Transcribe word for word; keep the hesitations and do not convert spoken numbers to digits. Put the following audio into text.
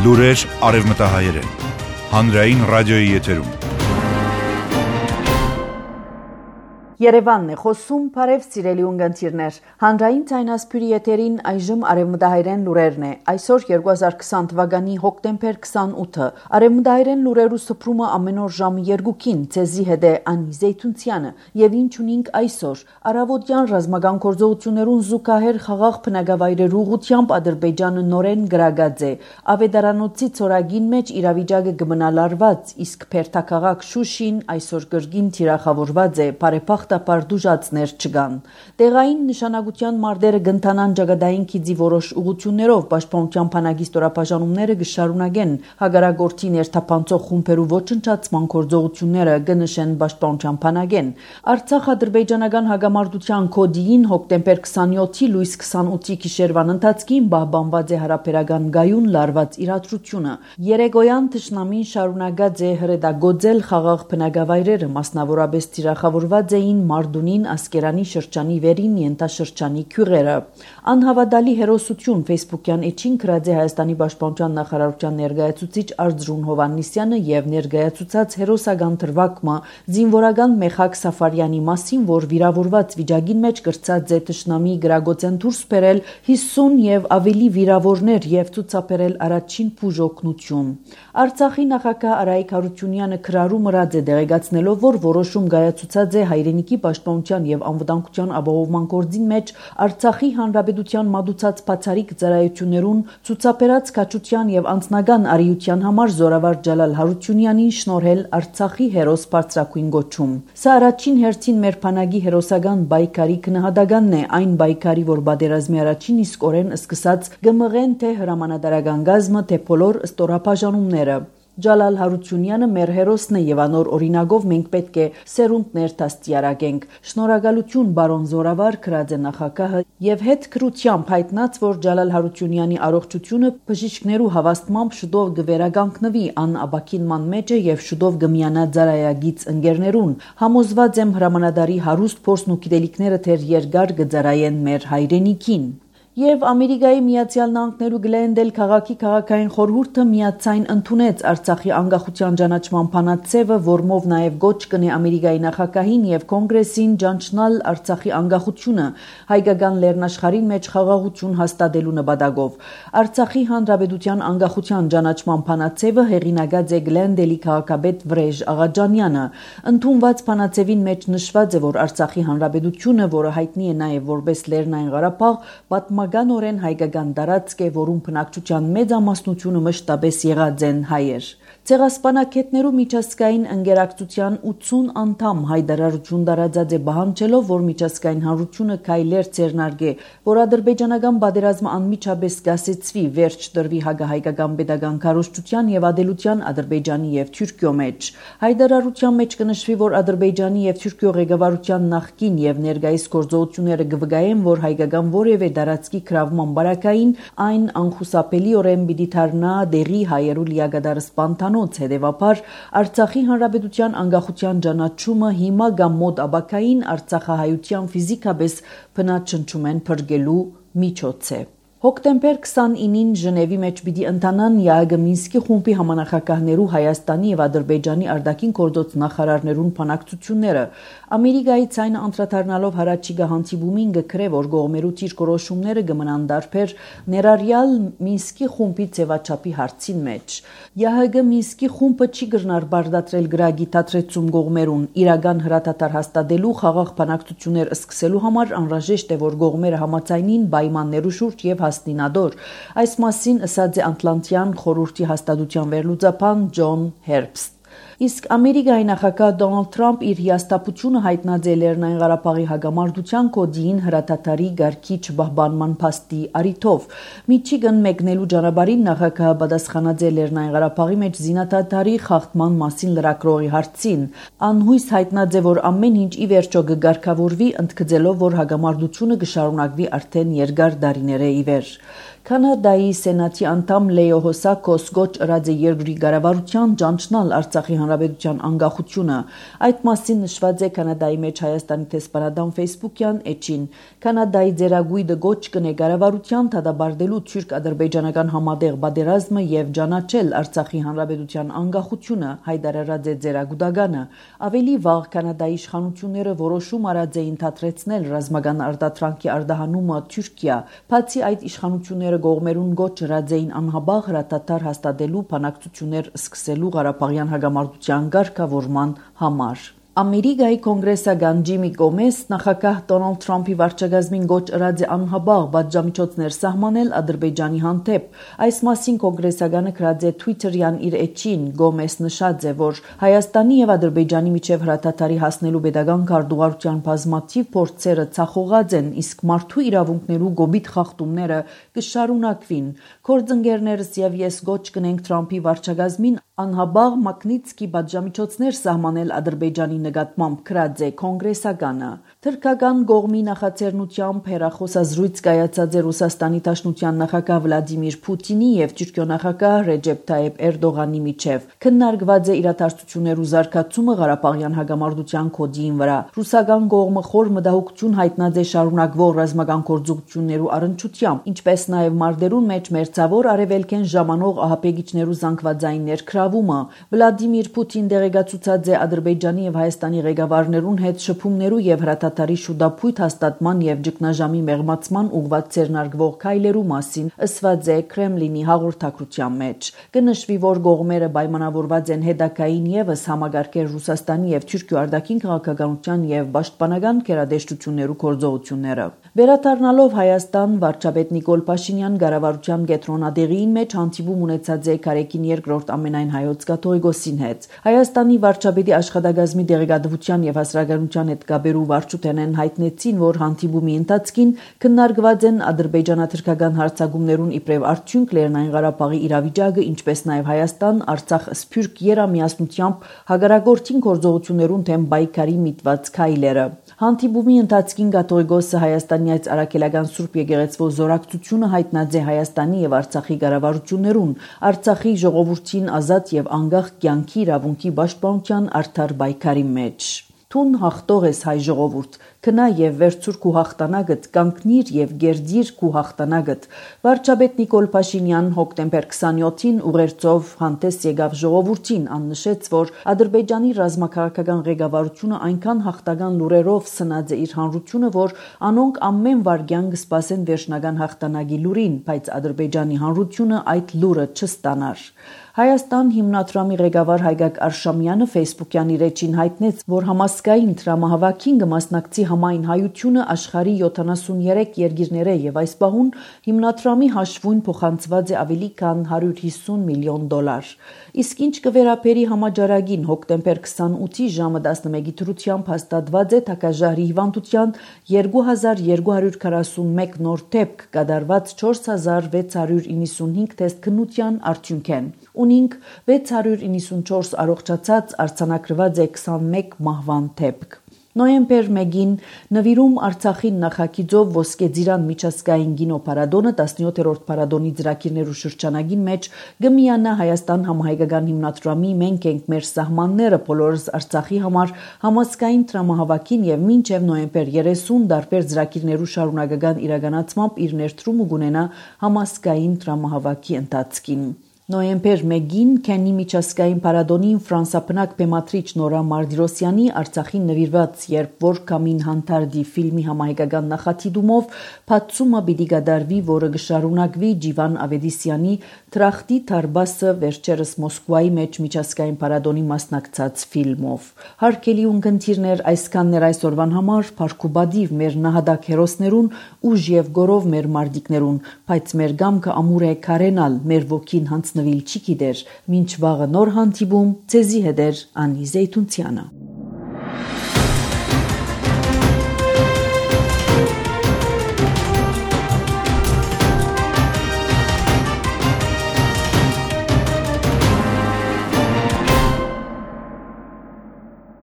Լուրեր արևմտահայերեն։ Հանրային ռադիոյի եթերում։ Երևանն է խոսում, բարև սիրելի ունգընտիրներ։ Հանրային ցայնասպյուրի եթերին այժմ արևմտահայերեն լուրերն է։ Այսօր երկու հազար քսան թվականի հոկտեմբեր քսանութը։ Արևմտահայերեն լուրերու սփռումը ամեն օր ժամը երկուքին ցեզի հետ է Անի Զեյթունցյանը եւ ինչ ունենք այսօր։ Արավոտյան ռազմական գործողություններուն զուգահեռ խաղաղ բնակավայրերու ուղղությամբ Ադրբեջանը նորեն գրագած է։ Ավետարանոցի ծորագին մեջ իրավիճակը կմնալարված, իսկ Փերթաքաղաք Շուշին այսօր կրկին թիրախավորված է։ Բարեփոխ Պարտուժածներ չկան։ Տեղային նշանակության մարտերը գնթանան ճակատային քիզի որոշ ուղություններով պաշտպանության բանակի ստորաբաժանումները կշարունակեն հագարագործի ներթափանցող խումբերու ոչնչացման գործողությունները կնշեն պաշտպանության բանակեն։ Արցախ-ադրբեջանական հագամարտության կոդին հոկտեմբեր քսանյոթի լույս քսանութի գիշերվան ընթացքին պահպանված է հարաբերական գայուն լարված իրադրությունը։ Երեգոյան թշնամին շարունակած է հրետագործել խաղաղ բնակավայրերը, մասնավորապես թիրախավորված էին Մարդունին Ասկերանի շրջանի վերին ենթաշրջանի քյուղերը։ Անհավատալի հերոսություն Facebook-յան էջին գրած է Հայաստանի պաշտպանության նախարարության ներկայացուցիչ Արծրուն Հովհաննիսյանը եւ ներկայացուցած հերոսական դրվագը զինվորական Մեխակ Սաֆարյանի մասին, որ վիրավորված վիճակին մեջ կրծած է թշնամի գրագոցեն դուրս բերել հիսուն եւ ավելի վիրավորներ եւ ցուցաբերել առաջին բուժօգնություն։ Արցախի նախագահ Արայիկ Հարությունյանը քրարու մրած է դեղեկացնելով, որ որոշում գայացուցած է հայրենիքի պաշտպանության եւ անվտանգության ապահովման գործին մեջ Արցախի հանրապետության մատուցած բացառիկ ծառայություններուն ցուցաբերած քաջության եւ անձնական արիության համար Զորավար Ջալալ Հարությունյանին շնորհել Արցախի հերոս բարձրակույն գոչում։ Սա առաջին հերթին մեր բանակի հերոսական բայկարի քնահատականն է, այն բայկարի, որ պատերազմի առաջին իսկ օրեն սկսած գմղեն թե հրամանատարական գազմը, թե բոլոր ստորաբաժանումները։ Ջալալ Հարությունյանը մեր հերոսն է եւ անոր օրինակով մենք պետք է սերունդներ դաստիարակենք։ Շնորհակալություն բարոն Զորավար, գրած է նախագահը եւ հետ քրությամբ հայտնած, որ Ջալալ Հարությունյանի առողջությունը բժիշկներու հավաստմամբ շուտով կվերականգնվի ան ապակինման մեջ է եւ շուտով կմիանա ծառայագից ընկերներուն։ Համոզված եմ հրամանատարի հարուստ փորձն ու գիտելիքները թեր երկար կծառայեն մեր հայրենիքին։ Եվ Ամերիկայի Միացյալ Նահանգներու Գլենդել քաղաքի քաղաքային խորհուրդը միացայն ընդունեց Արցախի անկախության ճանաչման փանացեվը, որմով նաև գոչ կնի Ամերիկայի նախագահին եւ կոնգրեսին ճանչնալ Արցախի անկախությունը հայկական լեռնաշխարհին մեջ խաղաղություն հաստատելու նպատակով։ Արցախի հանրապետության անկախության ճանաչման փանացեվը հեղինակած է Գլենդելի քաղաքապետ Վրեժ Աղաջանյանը։ Ընդունված փանացեվին մեջ նշված է, որ Արցախի հանրապետությունը, որը հայտնի է նաև որպես Լեռնային Ղարաբաղ, պատմականորեն հայկական տարածք է, որում բնակչության մեծ ամասնությունը մշտապես եղած են հայեր։ Ցեղասպանագետներու միջազգային ընկերակցության ութսուն անդամ հայտարարություն տարածած է բանջելով, որ միջազգային հանրությունը քայլեր ձեռնարկե, որ ադրբեջանական պատերազմը անմիջապես կասեցվի, վերջ տրվի հակահայկական պետական քարոզչության եւ ադելության Ադրբեջանի եւ Թուրքիո մեջ։ Հայտարարության մեջ կնշվի, որ Ադրբեջանի եւ Թուրքիո ղեկավարության նախկին եւ ներկայիս գործողությունները կվկայեն, որ հայկական որևէ տարածքի գրավման բարակային այն անխուսափելիորեն պիտի դառնա դեղի հայերու լիակատար սպանթանոց։ Հետևաբար Արցախի հանրապետության անկախության ճանաչումը հիմա կամ մոտ ապակային արցախահայության ֆիզիկապես բնաճնչումեն փրկելու միջոց է։ Հոկտեմբեր քսանինին Ժնևի մեջ պիտի ընթանան ԵԱՀԿ Մինսկի խումբի համանախագահներու Հայաստանի եւ Ադրբեջանի արտաքին գործոց նախարարներուն բանակցությունները։ Ամերիկայի ցայնը անդրադառնալով հարաճիգա հանդիպումին գկրե, որ գողմերու ճիրկորոշումները կմնան դարբեր ներառյալ Մինսկի խումբի ձևաչափի հարցին մեջ։ ԵԱՀԿ Մինսկի խումբը չի գրնար բարդատրել գրագի դադրեցում գողմերուն իրական հրատատար հաստատելու խաղաղ բանակցություններ սկսելու համար անհրաժեշտ է, որ գողմերը համաձայնին պայմաններու շուրջ եւ Հաստնադոր։ Այս մասին ասաց է Ատլանտյան խորհրդի հաստատության վերլուծաբան Ջոն Հերբստ։ Իսկ Ամերիկայի նախագահ Դոնալդ Թրամփ իր հիասթափությունը հայտնած է Լեռնային Ղարաբաղի հագամարտության կոդին հրատատարի գարկի չպահպանման փաստի առիթով։ Միչիգան մեկնելու ճանապարհին նախագահը պատասխանած է Լեռնային Ղարաբաղի մեջ զինադատարի խախտման մասին լրագրողի հարցին։ Անհույս հայտնած է, որ ամեն ինչ ի վերջո կգարկավորվի, ընդգծելով, որ հագամարտությունը կշարունակվի արդեն երկար տարիներ ի վեր։ Կանադայի սենատի անդամ Լեո Հոսակոս գոչ ըրած է երկրի կառավարության ճանչնալ Արցախի Հանրապետության անկախությունը։ Այդ մասին նշված է Կանադայի մեջ Հայաստանի տեսփանադամ Facebook-յան էջին։ Կանադայի ձեռագույդը գոչ կնե կառավարության դադարելու թուրք-ադրբեջանական համատեղ պատերազմը եւ ճանաչել Արցախի Հանրապետության անկախությունը, հայտարարած է ձեռագուտականը։ Ավելի վաղ Կանադայի իշխանությունները որոշում արած էին թատրեցնել ռազմական արտադրանքի արտահանումը Թուրքիա, բացի այդ իշխանությունները կողմերուն գոչ հրած էին անհաբաղ հրատատար հաստատելու բանակցություններ սկսելու Ղարաբաղյան հակամարտության ղեկավարման համար։ Ամերիկայի կոնգրեսական Ջիմի Գոմես նախագահ Դոնալդ Թրամփի վարչակազմին գոչ ըրած է անհաբաղ պատժամիջոցներ սահմանել Ադրբեջանի հանդեպ։ Այս մասին կոնգրեսականը գրած է Twitter-յան իր էջին։ Գոմես նշած է, որ Հայաստանի եւ Ադրբեջանի միջև հրատատարի հասնելու pedagogan քարտուղարության բազմաթիվ փորձերը ցախողած են, իսկ մարդու իրավունքներու գոբիտ խախտումները կշարունակվին։ Գործընկերներս եւ ես գոչ կնենք Թրամփի վարչակազմին անհաբաղ Մագնիտսկի պատժամիջոցներ սահմանել Ադրբեջանի նկատմամբ գրած է կոնգրեսականը։ Թուրքական կողմի նախաձեռնությամբ հեռախոսազրույց կայացած է Ռուսաստանի Դաշնության նախագահ Վլադիմիր Պուտինի եւ Թուրքիո նախագահ Ռեջեփ Թայիփ Էրդողանի միջև։ Քննարկված է իրադարձություններու զարգացումը Ղարաբաղյան հակամարտության կոդին վրա։ Ռուսական կողմը խոր մտահոգություն հայտնած է շարունակվող ռազմական գործողություններու առընչությամբ, ինչպես նաեւ մարտերուն մեջ մերձավոր արևելքեն ժամանող ահաբեկիչներու զանգվածային ներքրավումը։ Վլադիմիր Պուտին դեղեկացուցած է Ադրբեջանի եւ Հայաստանի ղեկավարներուն հետ շփումներու եւ հրատատարի շուտապույտ հաստատման եւ ճգնաժամի մեղմացման ուղղված ցերնարգվող քայլերու մասին ըսված է Կրեմլինի հաղորդակցության մեջ։ Կնշվի, որ կողմերը պայմանավորված են հետագային եւս համագարկել Ռուսաստանի եւ Թուրքիո արտաքին քաղաքականության եւ պաշտպանական գերադաշտություններու գործողությունները։ Վերադառնալով Հայաստան, վարչապետ Նիկոլ Փաշինյան կառավարության կենտրոնադեղին մեջ հանդիպում ունեցած է Կարեկին երկրորդ ամենայն հայոց կաթողիկոսին հետ։ Հայաստանի վարչապետի աշխատակազմի դեղեկատվության եւ հասարակայնության հետ կապերու վարչութենեն հայտնեցին, որ հանդիպումի ընթացքին քննարկված են ադրբեջանա-թուրքական հարձակումներուն իբրև արդյունք Լեռնային Ղարաբաղի իրավիճակը, ինչպես նաեւ Հայաստան-Արցախ սփյուռք երամիասնությամբ հագարագործին գործողություններուն թեմ պայքարի միտված քայլերը։ Հանդիպումի ընթացքին կաթողիկոսը Հայաստանյաց արաքելական Սուրբ եկեղեցվո զորակցությունը հայտնած է Հայաստանի եւ Արցախի կառավարություններուն, Արցախի ժողովրդին ազատ եւ անկախ կյանքի իրավունքի պաշտպանության արդար պայքարի մեջ։ Տուն հաղթող ես հայ ժողովուրդ, քնա եւ վերցուր քու հաղթանակդ, կանգնիր եւ գերդիր քու հաղթանակդ։ Վարչապետ Նիկոլ Փաշինյան հոկտեմբեր քսանյոթին ուղերձով հանդես եկավ ժողովրդին, աննշեց, որ Ադրբեջանի ռազմաքաղաքական ղեկավարությունը այնքան հաղթական լուրերով սնած է իր հանրությունը, որ անոնք ամեն վարքյան կսպասեն վերջնական հաղթանակի լուրին, բայց Ադրբեջանի հանրությունը այդ լուրը չստանար։ Հայաստան հիմնադրամի ղեկավար Հայգակ Արշամյանը Facebook-յան իր էջին հայտնեց, որ համասկային դրամահավաքին կմասնակցի համայն հայությունը աշխարհի յոթանասունյերեք երկիրները եւ այս պահուն հիմնադրամի հաշվուն փոխանցված է ավելի քան հարյուր հիսուն միլիոն դոլար։ Իսկ ինչ կվերապերի համաճարակին հոկտեմբեր քսանութի ժամը տասնմեկի դրությամբ հաստատված է Թակաժարի հիվանդության երկու հազար երկու հարյուր քառասունմեկ նոր դեպք կատարված չորս հազար վեց հարյուր իննսունհինգ թեստ քննության արդյունքեն։ Ունինք վեց հարյուր իննսունչորս առողջացած, արձանագրված է քսանմեկ մահվան դեպք։ Նոյեմբեր մեկին նվիրում Արցախին նախագիծով ոսկե ծիրան միջազգային կինոփառատոնը տասնյոթերորդ փառատոնի ծրագիրներու շրջանագին մեջ գմիանա Հայաստան համահայկական հիմնադրամի Մենք ենք մեր սահմանները բոլորս Արցախի համար համասկային դրամահավաքին եւ մինչեւ նոյեմբեր երեսուն դարբեր ծրագիրներու շարունակական իրականացմամբ իր ներդրումը կունենա համասկային դրամահավաքի ընթացքին։ Նոյեմբեր մեկին Քենի միջազգային փառատոնին ֆրանսապնակ բեմադրիչ Նորա Մարտիրոսյանի Արցախին նվիրված երբ որ կամին հանդարտի ֆիլմի համահայկական նախատիտումով բացումը պիտի կատարվի, որը կշարունակվի Ջիվան Ավետիսյանի Տրախտի Թարբասը վերջերս Մոսկվայի մեջ միջազգային փառատոնի մասնակցած ֆիլմով։ Հարգելի ունկնդիրներ, այսքանն էր այսօրվան համար, փառքուբադիվ մեր նահատակ հերոսներուն ուժ եւ գորով մեր մարտիկներուն, բայց մեր գամքը ամուր է քարենալ, մեր ոգին հանց նվիլ չի գիտեր, մինչ վաղը նոր հանդիպում, ձեզի հետ էր Անի Զեյթունցյանը։